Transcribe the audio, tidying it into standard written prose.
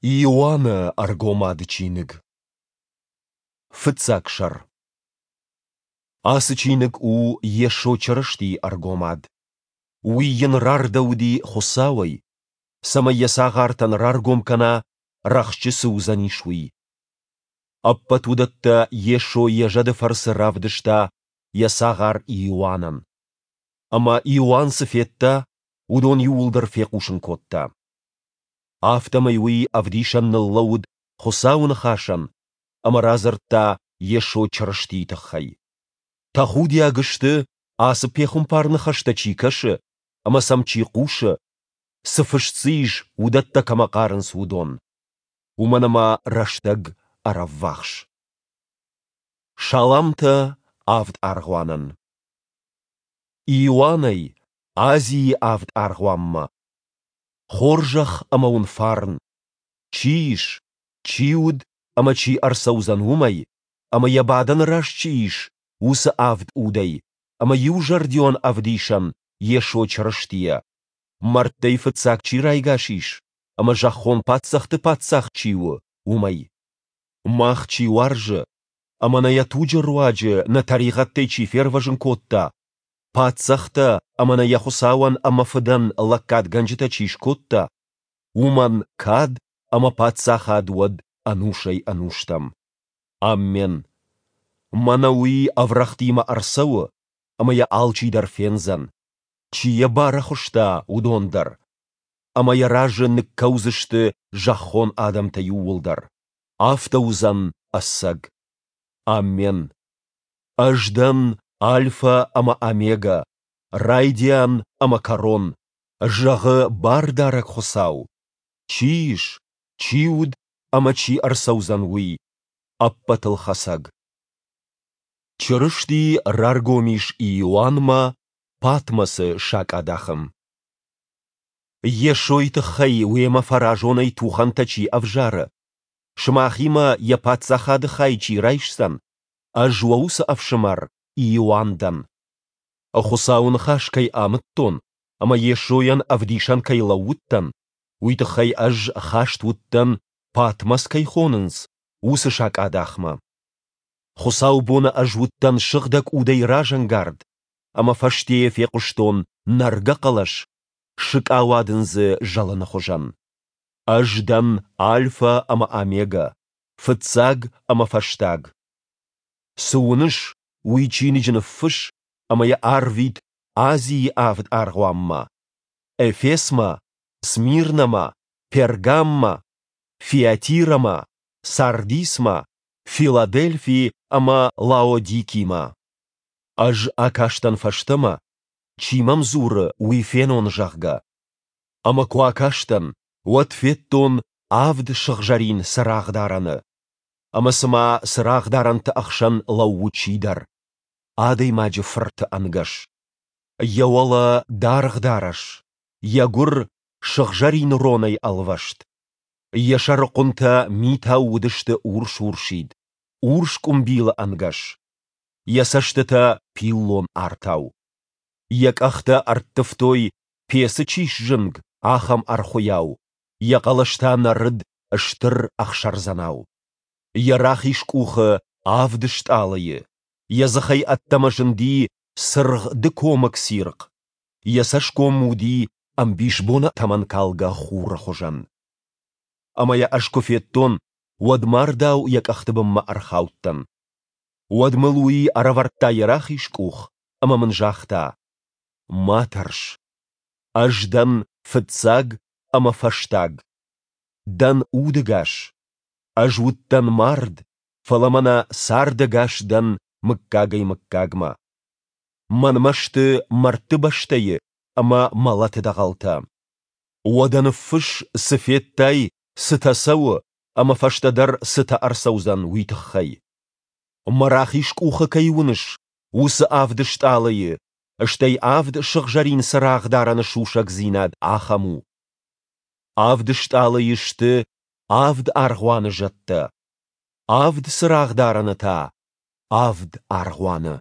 Иоанны Ӕргомады чиныг. Фыццаг сӕр. Ацы чиныг у Йесо Чырыстийы ӕргомад. Уый йын рардӕуыди Хуыцауӕй, цӕмӕй йӕ цагъартӕн раргом кӕна, рӕхджы цы уыдзӕнис, уый. Ӕппӕт уыдӕттӕ Йесо йӕ зӕды фӕрцы равдыста йӕ цагъар Иоаннӕн. Ӕмӕ Иоанн цы федта, уыдон иууылдӕр фехъусын кодта. Афтӕмӕй уый ӕвдисӕн ныллӕууыд Хуыцауы ныхасӕн ӕмӕ радзырдта Йесо Чырыстийы тыххӕй. Тӕхудиаг сты, ацы пехуымпар-ныхӕстӕ чи кӕсы ӕмӕ сӕм чи хъусы, цы фыст дзы ис, уыдӕттӕ кӕмӕ хъарынц, уыдон. Уымӕн ӕмӕ рӕстӕг ӕрӕввахс. Саламтӕ авд аргъуанӕн. Иоаннӕй Азийы авд аргъуанмӕ. Хорзӕх ӕмӕ уын фарн, чи ис, чи уыд ӕмӕ чи ӕрцӕудзӕн, уымӕй, ӕмӕ йӕ бадӕны раз чи ис, уыцы авд удӕй, ӕмӕ иузӕрдион ӕвдисӕн Йесо Чырыстийӕ, мӕрдтӕй фыццаг чи райгас ис ӕмӕ зӕххон паддзӕхты паддзах чи у, уымӕй. Мах чи уарзы ӕмӕ нӕ йӕ туджы руаджы нӕ тӕригъӕдтӕй чи фервӕзын кодта, паддзӕхтӕ ӕмӕ нӕ йӕ Хуыцауӕн ӕмӕ Фыдӕн лӕггадгӕнджытӕ чи скодта, уымӕн кад ӕмӕ паддзахад уӕд ӕнусӕй-ӕнустӕм. Аммен. Мӕнӕ уый ӕврӕгътимӕ ӕрцӕуы, ӕмӕ йӕ алчидӕр фендзӕн, чи йӕ барӕхуыста, уыдон дӕр, ӕмӕ йӕ разы ныккӕудзысты зӕххон адӕмтӕ иууылдӕр. Афтӕ уыдзӕн ӕцӕг. Аммен. Ӕз дӕн Альфӕ ӕмӕ Омегӕ, райдиан ӕмӕ кӕрон, зӕгъы Бардарӕг Хуыцау, чи ис, чи уыд ӕмӕ чи ӕрцӕудзӕн, уый, Ӕппӕтылхӕцӕг. Чырысти раргом ис Иоаннмӕ Патмосы сакъадахы. Йесойы тыххӕй уемӕ фӕразонӕй тухӕнтӕ чи ӕвзары, сымахимӕ йӕ паддзахады хай чи райсдзӕн, ӕз уӕ уыцы ӕфсымӕр Иоанн дӕн. Хуыцауы ныхас кӕй амыдтон ӕмӕ Йесойӕн ӕвдисӕн кӕй лӕууыдтӕн, уый тыххӕй ӕз хаст уыдтӕн, Патмос кӕй хонынц, уыцы сакъадахмӕ. Хуыцаубоны ӕз уыдтӕн Сыгъдӕг Удӕй разӕнгард, ӕмӕ фӕстейӕ фехъуыстон нӕргӕ хъӕлӕс, сыкъауадындзы зӕлыны хуызӕн. Ӕз дӕн Альфӕ ӕмӕ Омегӕ, фыццаг ӕмӕ фӕстаг. Цы уыныс, уый чиныджы ныффысс ӕмӕ йӕ арвит Азийы авд аргъуанмӕ: Эфесмӕ, Смирнӕмӕ, Пергаммӕ, Фиатирӕмӕ, Сардисмӕ, Филадельфи ӕмӕ Лаодикимӕ. Ӕз акастӕн фӕстӕмӕ, чи мӕм дзуры, уый фенон, зӕгъгӕ. Ӕмӕ куы акастӕн, уӕд федтон авд сыгъзӕрин цырагъдарӕны. Ӕмӕ цыма цырагъдарӕнты ӕхсӕн лӕууы чидӕр, адӕймаджы фырты ӕнгӕс. Йӕ уӕлӕ даргъ дарӕс, йӕ гуыр сыгъзӕрин ронӕй ӕлвӕст. Йӕ сӕрыхъуынтӕ митау уыдысты урс-урсид, урс къуымбилы ӕнгӕс. Йӕ цӕстытӕ пиллон артау. Йӕ къӕхтӕ ӕрттывтой, пецы чи сзынг, ахӕм ӕрхуыйау, йӕ хъӕлӕс та нӕрыд стыр ӕхсӕрдзӕнау. Йӕ рахиз къухы авд стъалыйы, йӕ дзыхӕй ӕддӕмӕ зынди цыргъ дыкомыг цирхъ, йӕ цӕсгом уыди ӕмбисбоны тӕмӕнкалгӕ хуры хуызӕн. Ӕмӕ йӕ ӕз куы федтон, уӕд мардау йӕ къӕхты бынмӕ ӕрхаудтӕн. Уӕд мыл уый ӕрӕвӕрдта йӕ рахиз къух ӕмӕ мын загъта: Ма тӕрс. Ӕз дӕн фыццаг ӕмӕ фӕстаг. Дӕн удӕгас. Ӕз уыдтӕн мард, фӕлӕ мӕнӕ цардӕгас дӕн мыггагӕй-мыггагмӕ. Мӕнмӕ сты мӕрдты бӕстӕйы ӕмӕ мӕлӕты дӕгъӕлтӕ. Уӕдӕ ныффысс, цы федтай, цытӕ цӕуы ӕмӕ фӕстӕдӕр цытӕ ӕрцӕудзӕн, уый тыххӕй. Мӕ рахиз къухы кӕй уыныс, уыцы авд стъалыйы, стӕй авд сыгъзӕрин цырагъдарӕны сусӕгдзинад ахӕм у. Авд стъалыйы сты авд аргъуаны зӕдтӕ, авд цырагъдарӕны та — авд аргъуаны.